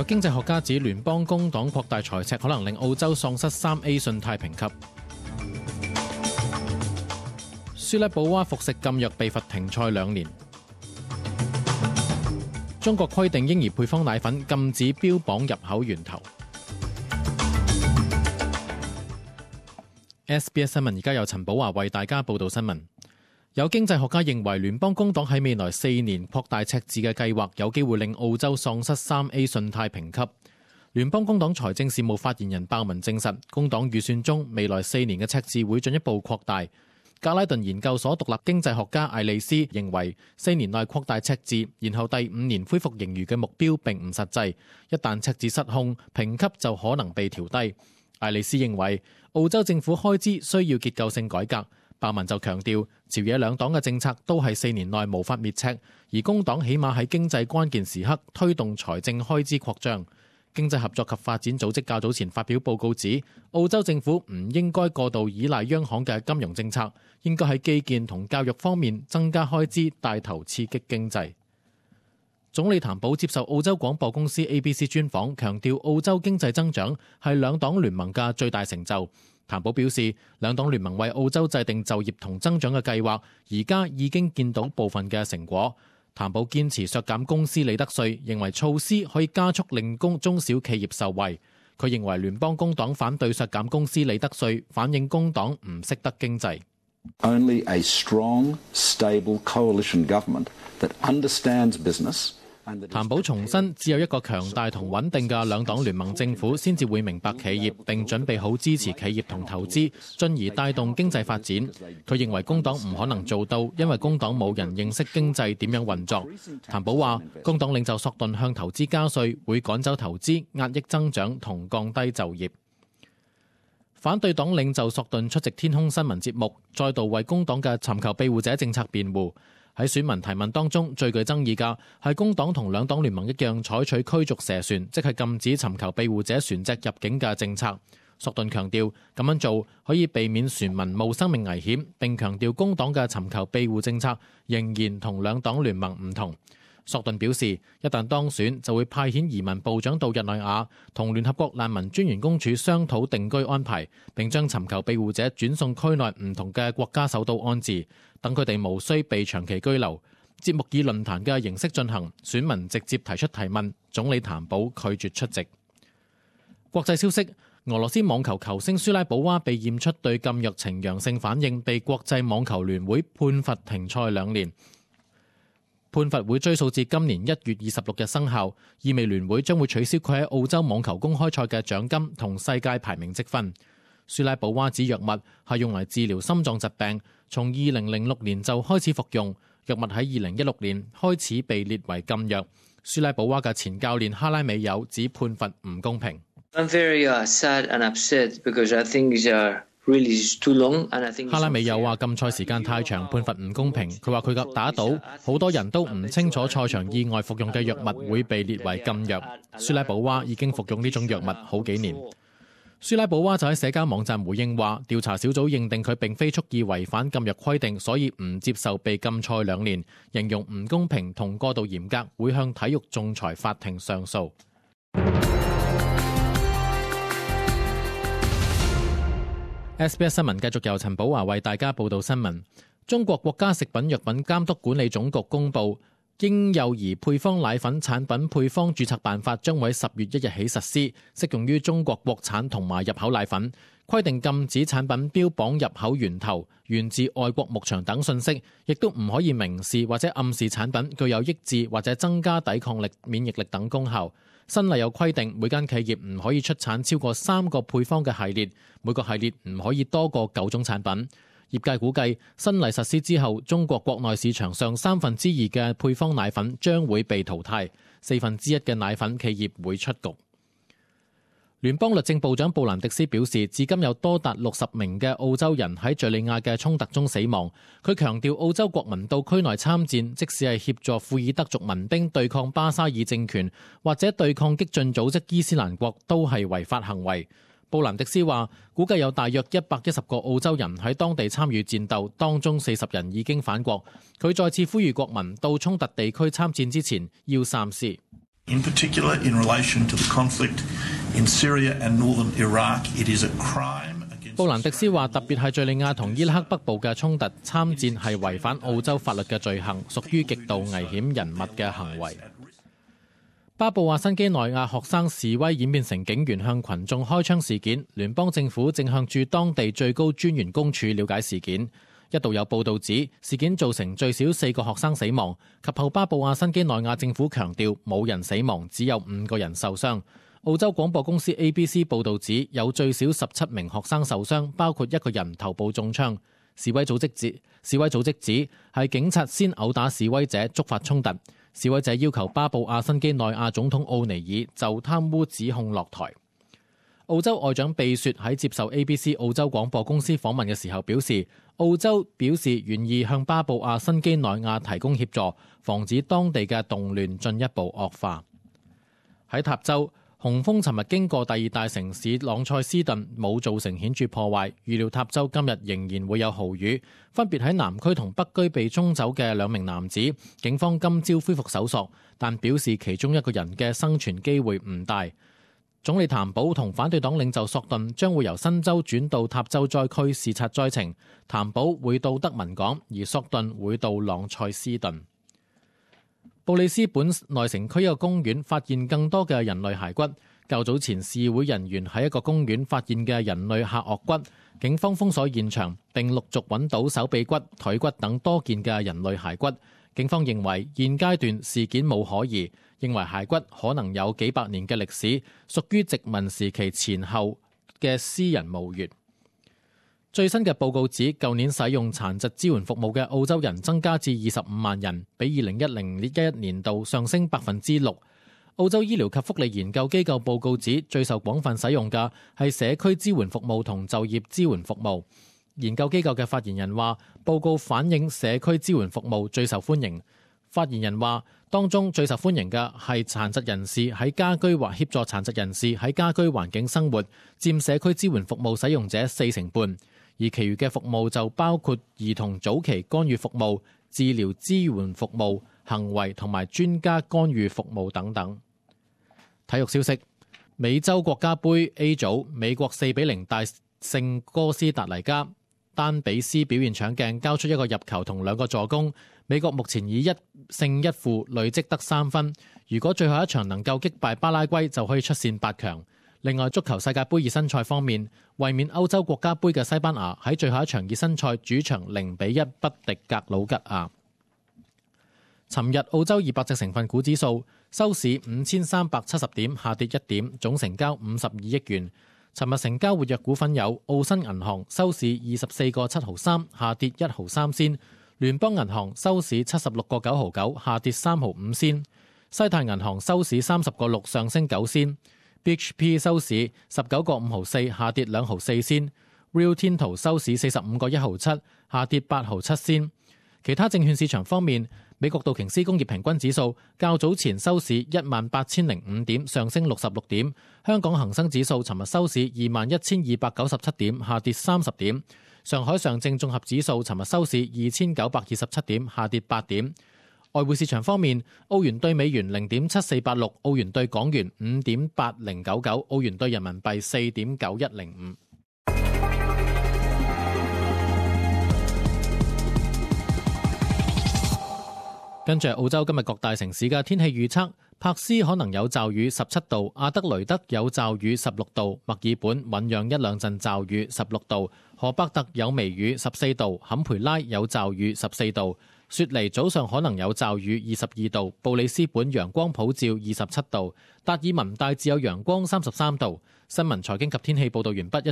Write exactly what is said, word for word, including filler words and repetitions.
經濟學家指聯邦工黨擴大財赤可能令澳洲喪失三 A 信貸評級。舒拉保娃服食禁藥被罰停賽兩年。中國規定嬰兒配方奶粉禁止標榜入口源頭。S B S 新聞而家由陳寶華為大家報道新聞。有經濟學家認為聯邦工黨喺未來四年擴大赤字嘅計劃有機會令澳洲喪失三 A 信貸評級。聯邦工黨財政事務發言人鮑文證實，工黨預算中未來四年嘅赤字會進一步擴大。格拉頓研究所獨立經濟學家艾利斯認為，四年內擴大赤字，然後第五年恢復盈餘嘅目標並唔實際。一旦赤字失控，評級就可能被調低。艾利斯認為，澳洲政府開支需要結構性改革。鮑文就強調，朝野兩黨嘅政策都係四年內無法滅赤，而工黨起碼喺經濟關鍵時刻推動財政開支擴張。經濟合作及發展組織較早前發表報告指，澳洲政府唔應該過度依賴央行嘅金融政策，應該喺基建同教育方面增加開支，帶頭刺激經濟。總理譚寶接受澳洲廣播公司 A B C 專訪，強調澳洲經濟增長係兩黨聯盟嘅最大成就。譚寶表示，兩黨聯盟為澳洲制定就業同增長嘅計劃，而家已經見到部分嘅成果。譚寶堅持削減公司利得稅，認為措施可以加速令公中小企業受惠。佢認為聯邦工黨反對削減公司利得稅，反映工黨唔識得經濟。Only a strong, stable coalition government that understands business. 譚寶重申，只有一個強大同穩定嘅兩黨聯盟政府先至會明白企業，並準備好支持企業同投資，進而帶動經濟發展。佢認為工黨唔可能做到，因為工黨冇人認識經濟點樣運作。譚寶話，工黨領袖索頓向投資加稅，會趕走投資、壓抑增長同降低就業。反對黨領袖索頓出席天空新聞節目，再度為工黨嘅尋求庇護者政策辯護。喺選民提問當中，最具爭議嘅係工黨同兩黨聯盟一樣採取驅逐蛇船，即係禁止尋求庇護者船隻入境嘅政策。索頓強調咁樣做可以避免船民冒生命危險，並強調工黨嘅尋求庇護政策仍然同兩黨聯盟唔同。索頓表示，一旦當選就會派遣移民部長到日內瓦，同聯合國難民專員公署商討定居安排，並將尋求庇護者轉送區內唔同嘅國家首都安置，等佢哋無需被長期居留。節目以論壇嘅形式進行，選民直接提出提問，總理譚寶拒絕出席。國際消息，俄羅斯網球球星舒拉保娃被驗出對禁藥呈陽性反應，被國際網球聯會判罰停賽兩年。判罰會追溯至今年一月二十六日生效，意味聯會將會取消佢喺澳洲網球公開賽嘅獎金同世界排名積分。舒拉保娃指藥物係用嚟治療心臟疾病，從二零零六年就開始服用，藥物喺二零一六年開始被列為禁藥。舒拉保娃嘅前教練哈拉美友指判罰唔公平。I'm very, uh, sad and upset because I think it's, uh... 哈拉美又話禁賽時間太長，判罰唔公平。佢話佢嘅打賭，好多人都唔清楚賽場意外服用嘅藥物會被列為禁藥。舒拉保娃已經服用呢種藥物好幾年。舒拉保娃就喺社交網站回應話，調查小組認定佢並非蓄意違反禁藥規定，所以唔接受被禁賽兩年，形容唔公平同過度嚴格，會向體育仲裁法庭上訴。S B S 新聞繼續由陳寶華為大家報道新聞。中國國家食品藥品監督管理總局公布，嬰幼兒配方奶粉產品配方註冊辦法將會喺十月一日起實施，適用於中國國產同埋入口奶粉。規定禁止產品標榜入口源頭、源自外國牧場等信息，亦都唔可以明示或者暗示產品具有抑制或者增加抵抗力、免疫力等功效。新例有規定，每間企業唔可以出產超過三個配方嘅系列，每個系列唔可以多過九種產品。業界估計，新例實施之後，中國國內市場上三分之二嘅配方奶粉將會被淘汰，四分之一嘅奶粉企業會出局。聯邦律政部長布蘭迪斯表示，至今有多達六十名嘅澳洲人喺敘利亞嘅衝突中死亡。佢強調，澳洲國民到區內參戰，即使係協助庫爾德族民兵對抗巴沙爾政權，或者對抗激進組織伊斯蘭國，都係違法行為。布蘭迪斯話，估計有大約一百一十個澳洲人喺當地參與戰鬥，當中四十人已經返國。佢再次呼籲國民到衝突地區參戰之前要三思。In particular, in relation to the conflict in Syria and northern Iraq, it is a crime. 布蘭迪斯話：特別係敍利亞同伊拉克北部嘅衝突，參戰係違反澳洲法律嘅罪行，屬於極度危險人物嘅行為。巴布亞新畿內亞學生示威演變成警員向群眾開槍事件，聯邦政府正向駐當地最高專員公署了解事件。一度有報道指事件造成最少四個學生死亡，及後巴布亞新畿內亞政府強調冇人死亡，只有五個人受傷。澳洲廣播公司 A B C 報導指有最少十七名學生受傷，包括一個人頭部中槍。示威組織指示威組織指係警察先毆打示威者，觸發衝突。示威者要求巴布亞新畿內亞總統奧尼爾就貪污指控落台。澳洲外長貝雪喺接受 A B C 澳洲廣播公司訪問嘅時候表示，澳洲表示願意向巴布亞新畿內亞提供協助，防止當地嘅動亂進一步惡化。喺塔州，洪峰尋日經過第二大城市朗塞斯頓，冇造成顯著破壞。預料塔州今日仍然會有豪雨。分別喺南區同北區被沖走嘅兩名男子，警方今朝恢復搜索，但表示其中一個人嘅生存機會唔大。總理譚寶同反對黨領袖索頓將會由新州轉到塔州災區視察災情。譚寶會到德文港，而索頓會到朗塞斯頓。布里斯本內城區一個公園發現更多嘅人類骸骨。較早前示威人員喺一個公園發現嘅人類下顎骨，警方封鎖現場並陸續揾到手臂骨、腿骨等多件嘅人類骸骨。警方認為現階段事件冇可疑，認為骸骨可能有幾百年嘅歷史，屬於殖民時期前後嘅私人墓穴。最新嘅報告指，舊年使用殘疾支援服務嘅澳洲人增加至二十五萬人，比二零一零一一年度上升百分之六。澳洲醫療及福利研究機構報告指，最受廣泛使用嘅係社區支援服務同就業支援服務。研究機構嘅發言人話，報告反映社區支援服務最受歡迎。發言人話，當中最受歡迎嘅係殘疾人士喺家居或協助殘疾人士喺家居環境生活，佔社區支援服務使用者四成半。而其餘嘅服務就包括兒童早期干預服務、治療支援服務、行為同埋專家干預服務等等。體育消息：美洲國家盃 A 組，美國四比零大勝哥斯達黎加，丹比斯表現搶鏡，交出一個入球同兩個助攻。美國目前以一勝一負累積得三分，如果最後一場能夠擊敗巴拉圭，就可以出線八強。另外，足球世界盃熱身賽方面，衛冕歐洲國家盃嘅西班牙喺最後一場熱身賽主場零比一不敵格魯吉亞。尋日澳洲二百隻成分股指數收市五千三百七十點，下跌一點，總成交五十二億元。尋日成交活躍股份有澳新銀行收市二十四個七毫三，下跌一毫三仙；聯邦銀行收市七十六個九毫九，下跌三毫五仙；西泰銀行收市三十個六，上升九仙。B H P 收市十九個五毫四，下跌兩毫四仙。Rio Tinto 收市四十五個一毫七，下跌八毫七仙。其他證券市場方面，美國道瓊斯工業平均指數較早前收市一萬八千零五點，上升六十六點。香港恒生指數尋日收市二萬一千二百九十七點，下跌三十點。上海上證綜合指數尋日收市二千九百二十七點，下跌八點。外匯市場方面，澳元對美元零點七四八六，澳元對港元五點八零九九，澳元對人民幣四點九一零五。跟住澳洲今日各大城市嘅天氣預測：柏斯可能有驟雨十七度，阿德雷德有驟雨十六度，墨爾本醞釀一兩陣驟雨十六度，荷伯特有微雨十四度，坎培拉有驟雨十四度。雪梨早上可能有驟雨二十二度，布里斯本陽光普照二十七度，達爾文大致有陽光三十三度。新聞財經及天氣報導完畢。